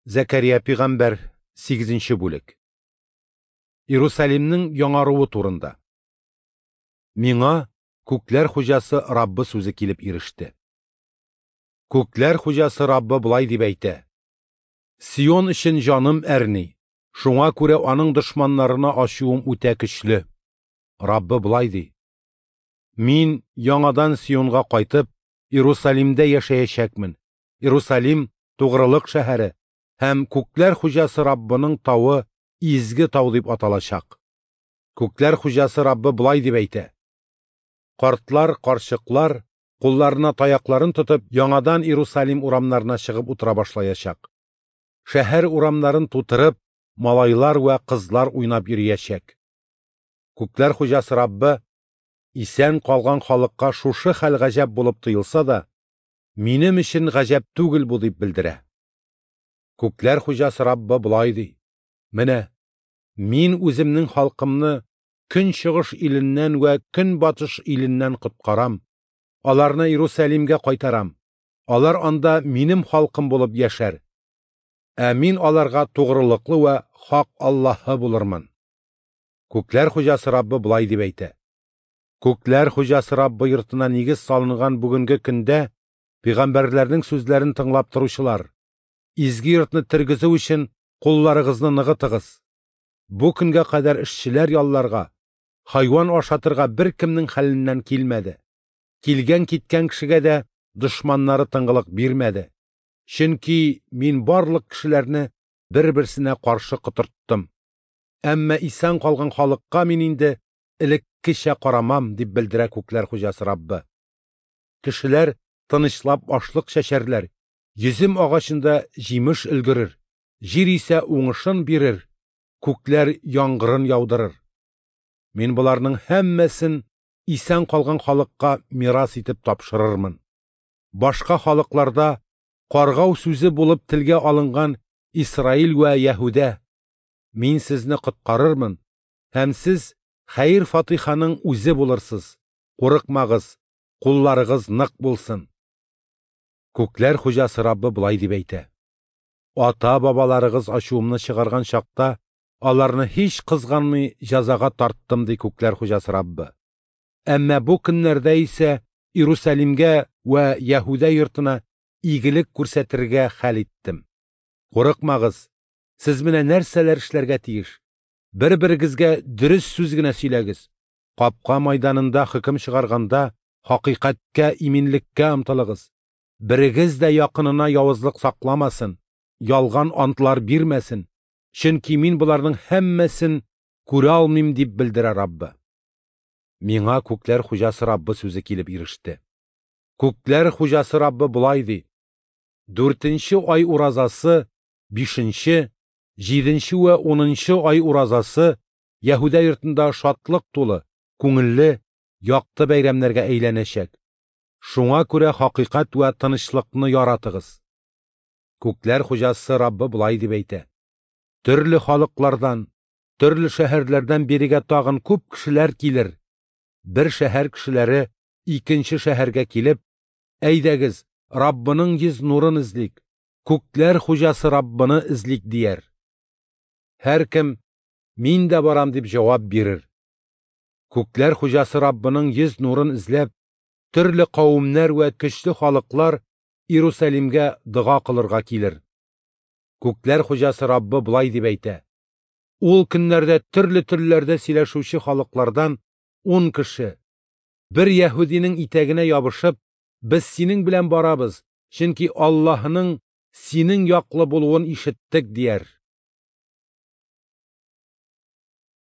Зәкәрия пигамбәр, 8 бүлек. Иерусалимның яңаруы турында. Миңа Күкләр Хуҗасы Раббы сүзе килеп иреште. Күкләр Хуҗасы Раббы болай дип әйтә: Сион өчен җаным әрни, шуңа күрә аның дошманнарына ачуым үтә көчле. Раббы болай ди: Мин яңадан Сионга кайтып, Иерусалимдә яшәячәкмен. Иерусалим тугрылык шәһәре һәм Күкләр Хуҗасы Раббының тавы изге тау дип аталачак. Күкләр Хуҗасы Раббы болай дип әйтә: Картлар, карчыклар кулларына таякларын тотып, яңадан Иерусалим урамнарына чыгып утыра башлаячак. Шәһәр урамнарын тутырып, малайлар вә кызлар уйнап йөриячәк. Күкләр Хуҗасы Раббы исән калган халыкка шушы хәл гаҗәп булып тоелса да, минем өчен гаҗәп түгел бу дип белдерә. Күкләр Хуҗасы Раббы болай ди: Менә мин үземнең халкымны көнчыгыш иленнән вә көнбатыш иленнән коткарам. Аларны Иерусалимгә кайтарам. Алар анда минем халкым булып яшәр. Ә мин аларга тугрылыклы вә хак Аллаһы булырмын. Күкләр Хуҗасы Раббы болай дип әйтә: Күкләр Хуҗасы Раббы йортына нигез салынган бүгенге көндә пәйгамбәрләрнең сүзләрен тыңлап торучылар, изге йортны тергезү өчен кулларыгызны ныгытыгыз. Бу көнгә кадәр эшчеләр ялларга, хайван ашатырга беркемнең хәленнән килмәде. Килгән-киткән кешегә дә дошманнары тынгылык бирмәде. Чөнки мин барлык кешеләрне бер-берсенә каршы котырттым. Әмма исән калган халыкка мин инде элеккечә карамам, дип белдерә Күкләр Хуҗасы Раббы. Кешеләр тынычлап ашлык чәчәрләр, йөзем агачында җимеш өлгерер, җир исә уңышын бирер, күкләр яңгырын яудырыр. Мин боларның һәммәсен исән калган халыкка мирас итеп тапшырырмын. Башка халыкларда каргау сүзе булып телгә алынган Исраил вә Яһүдә, мин сезне коткарырмын, һәм сез хәер-фатиханың үзе булырсыз. Курыкмагыз, кулларыгыз нык булсын. Күкләр Хуҗасы Раббы болай дип әйтә: Ата-бабаларыгыз ачуымны чыгарган чакта аларны һич кызганмый җәзага тарттым, ди Күкләр Хуҗасы Раббы. Әмма бу көннәрдә исә Иерусалимгә вә Яһүдә йортына игелек күрсәтергә хәл иттем. Курыкмагыз, сез менә нәрсәләр эшләргә тиеш. Бер-берегезгә дөрес сүз генә сөйләгез. Капка майданында хөкем чыгарганда хакыйкатькә, иминлеккә омтылыгыз. Берегез дә якынына явызлык сакламасын, ялган антлар бирмәсен, чөнки мин боларның һәммәсен күрә алмыйм, дип белдерә Раббы. Миңа Күкләр Хуҗасы Раббы сүзе килеп иреште. Күкләр Хуҗасы Раббы болай ди: 4нче ай уразасы, 5нче, 7нче вә 10нчы ай уразасы Яһүдә йортында шатлык тулы, күңелле, якты бәйрәмнәргә әйләнәчәк. Шуңа күрә хакыйкать вә тынычлыкны яратыгыз. Күкләр Хуҗасы Раббы болай дип әйтә: Төрле халыклардан, төрле шәһәрләрдән бирегә тагын күп кешеләр килер. Бер шәһәр кешеләре икенче шәһәргә килеп, әйдәгез, Раббының йөз нурын эзлик, Күкләр Хуҗасы Раббыны эзлик дияр. Һәркем мин дә барам дип җавап бирер. Күкләр Хуҗасы Раббының йөз нурын эзләп, төрле кавемнәр вә көчле халыклар Иерусалимгә дога кылырга килер. Күкләр Хуҗасы Раббы болай дип әйтә: Ул көннәрдә төрле телләрдә сөйләшүче халыклардан 10 кеше бер яһүдинең итәгенә ябышып, без синең белән барабыз, чөнки Аллаһының синең яклы булуын ишеттек, дияр.